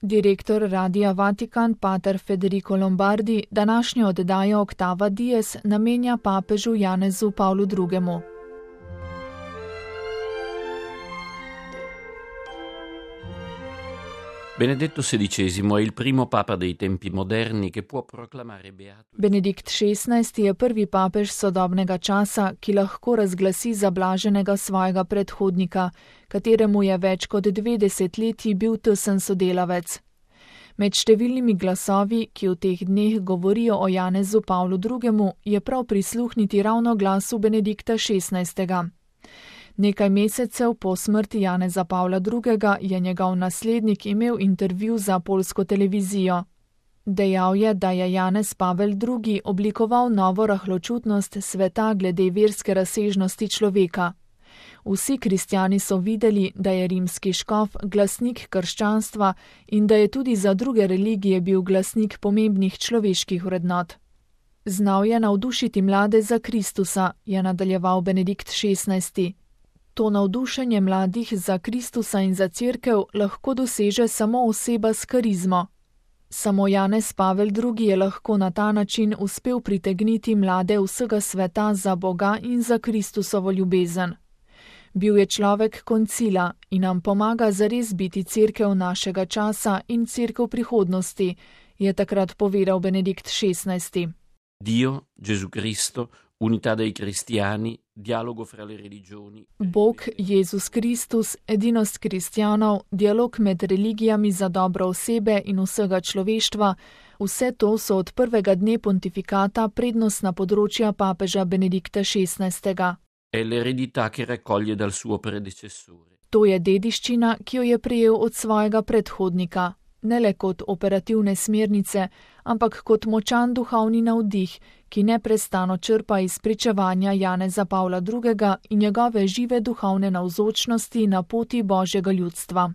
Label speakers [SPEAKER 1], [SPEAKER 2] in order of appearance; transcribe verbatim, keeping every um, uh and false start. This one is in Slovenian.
[SPEAKER 1] Direktor Radia Vatikan pater Federico Lombardi današnjo oddajo Octava Dies namenja papežu Janezu Pavlu drugemu.
[SPEAKER 2] Benedetto sedicesimo è il primo papa dei tempi moderni che può proclamare beato.
[SPEAKER 1] Benedikt šestnajsti je prvi papež sodobnega časa, ki lahko razglasi za blaženega svojega predhodnika, kateremu je več kot dve desetletji bil tesen sodelavec. Med številnimi glasovi, ki v teh dneh govorijo o Janezu Pavlu drugemu, je prav prisluhniti ravno glasu Benedikta šestnajstega. Nekaj mesecev po smrti Janeza Pavla drugega je njegov naslednik imel intervju za poljsko televizijo. Dejal je, da je Janez Pavel drugi oblikoval novo rahločutnost sveta glede verske razsežnosti človeka. Vsi kristjani so videli, da je rimski škof glasnik krščanstva in da je tudi za druge religije bil glasnik pomembnih človeških vrednot. Znal je navdušiti mlade za Kristusa, je nadaljeval Benedikt šestnajsti. To navdušenje mladih za Kristusa in za cerkev lahko doseže samo oseba s karizmo. Samo Janez Pavel drugi je lahko na ta način uspel pritegniti mlade vsega sveta za Boga in za Kristusovo ljubezen. Bil je človek koncila in nam pomaga zares biti cerkev našega časa in cerkev prihodnosti, je takrat povedal Benedikt šestnajsti.
[SPEAKER 2] Dio, Gesù Cristo, unità dei cristiani, dialogo fra le religioni.
[SPEAKER 1] Bog, Jezus Kristus, edinost kristjanov, dialog med religijami za dobro osebe in vsega človeštva, vse to so od prvega dne pontifikata prednostna področja papeža Benedikta šestnajstega.
[SPEAKER 2] È l'eredità che raccoglie dal suo predecessore.
[SPEAKER 1] To je dediščina, ki jo je prejel od svojega predhodnika, ne le kot operativne smernice, ampak kot močan duhovni navdih, ki neprestano črpa iz pričevanja Janeza Pavla drugega in njegove žive duhovne navzočnosti na poti Božjega ljudstva.